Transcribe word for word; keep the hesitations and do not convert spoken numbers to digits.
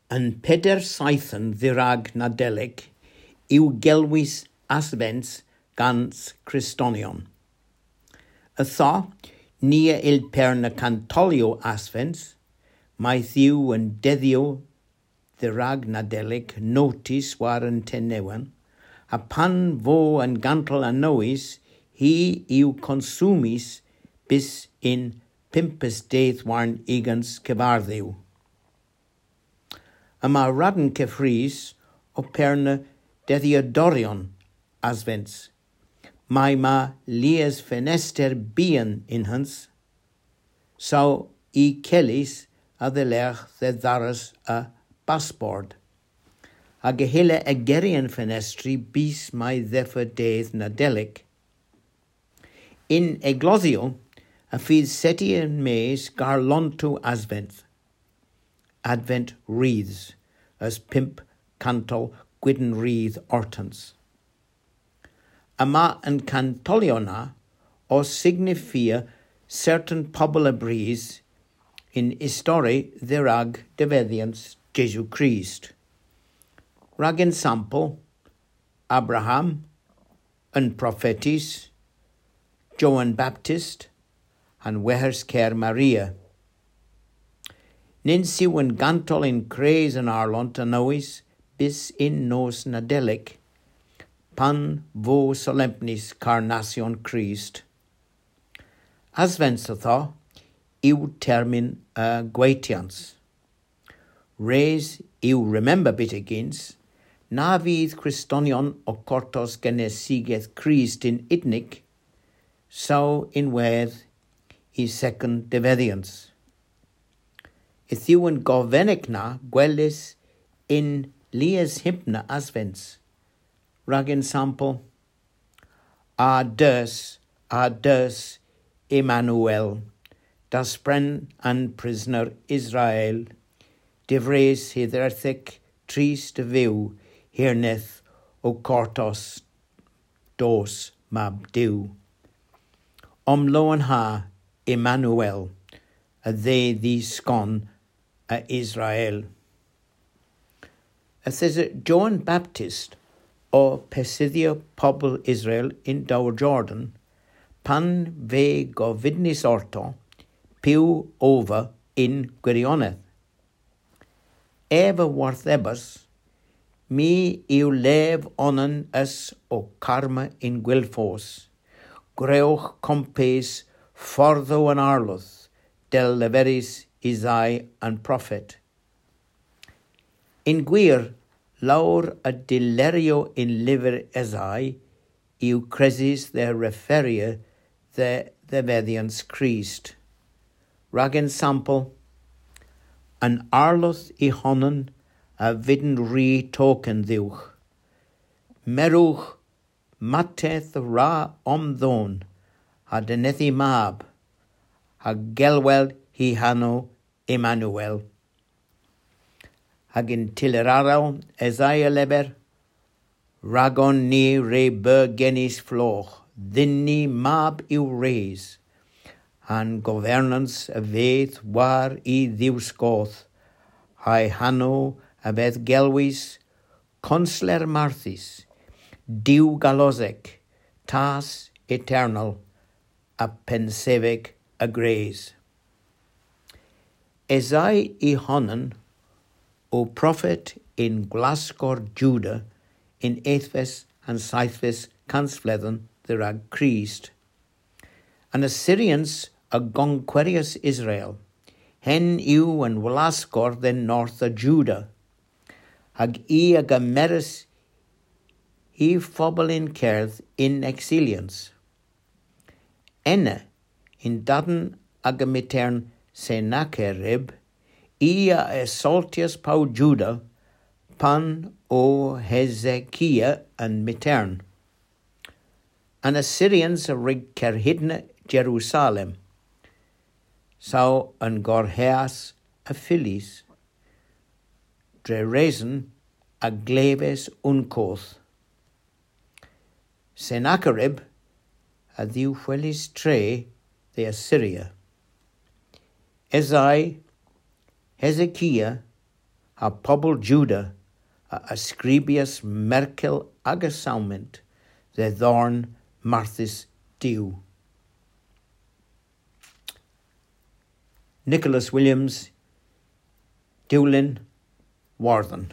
An peder seythen dherag Nadelik yw gelwys Asvens gans Kristonyon. Ytho, ni a yll perna kantolyow Asvens, mayth yw an dedhyow dherag Nadelik notys war an tennewen, ha pan vo an gantol anowys, hi yw konsumys bys yn pympes dydh warn ugens kevardhu. Yma radn keffrys ow perna dedhyadoryon Asvens, may ma lies fenester byghan ynwedh, saw y kellys a-dhelergh dhe dharras a basport, hag a hylla igeri an fenestri bys may dheffo dydh Nadelik. Yn eglosyow, y fydh settys yn-mes garlontow Asvens, Advent wreaths, a's pymp kantol gwydn wreath ortans. Yma an kantolyow na ow signifia sertan pobel a bris yn istori dherag devedhyans Jesu Krist. Rag ensampel, Abraham, an profetys, Jowan Baptist, ha'n weghers ker Maria. Nyns yw an gantol yn kres an arlont anowys bys yn nos Nadelik, pan vo solempnys karnasyon Krist. Asvens ytho yw termyn a gwaytyans. Res yw remember byttegyns, na vydh Kristonyon ow kortos genesigeth Krist yn unnik, saw ynwedh y second devedhyans. Yth yw an govenek na gwelys yn lies hymna Asvens, rag ensampel, A dus, a dus, Emmanuel, daspren an prysner Israel, dyvres hydherdhek trist a vyw hirneth ow kortos dos mab Duw. Omlowenha Emmanuel, a dhe dhi skon a Israel. Yth esa Jowan Baptist ow pesydhya pobel Israel yn Dowr Jordan, pan veu govydnys orto piw ov vy yn gwiryonedh. Ev a worthebas, my yw lev onan es ow karma yn gwylfos. Gwrewgh kompes fordhow an Arlodh, dell leveris Esai an profet. Yn gwir, lowr a dyleryow yn lyver Esai yw kresys dhe referya dhe dhevedhyans Krist. Rag ensampel, an Arlodh y honan a vydn ri token dhywgh. Merewgh, matteth a wra omdhown, ha denedhi mab, ha gelwel hy hanow Emmanuel. Hag yn tyller arall Esai a lever, ragon ni re beu genys flogh, dhyn ni mab yw res. Ha'n governans a vedh war y dhiwskoodh, ha'y hanow a vedh gelwys Konsler Marthys, Duw Galosek, Tas Eternal, ha Pennsevek a Gres. Esai y honan o profet yn gwlaskor Juda yn ethves ha'n seythves kansvledhen dherag Krist. An Assyrians a gonkweryas Israel, henn yw an wlaskor dhe'n north a Juda, hag i a gemeras hy fobel yn kerdh yn eksilyans. Ena, yn-dadn aga mytern Sennacherib, i a asoltyas pow Juda pan o Hesekia an mytern. An Assyrians a wrug kerhydna Jerusalem, saw an gorhas a fyllys, dre reson a gleves unn koth. Sennacherib a dhiwhwelis tre dhe Assyria. Esai, Hesekia, ha pobel Juda a, a skribas merkel aga sawment dhe dhorn marthys Duw. Nicholas Williams, Diwlin Wardhan.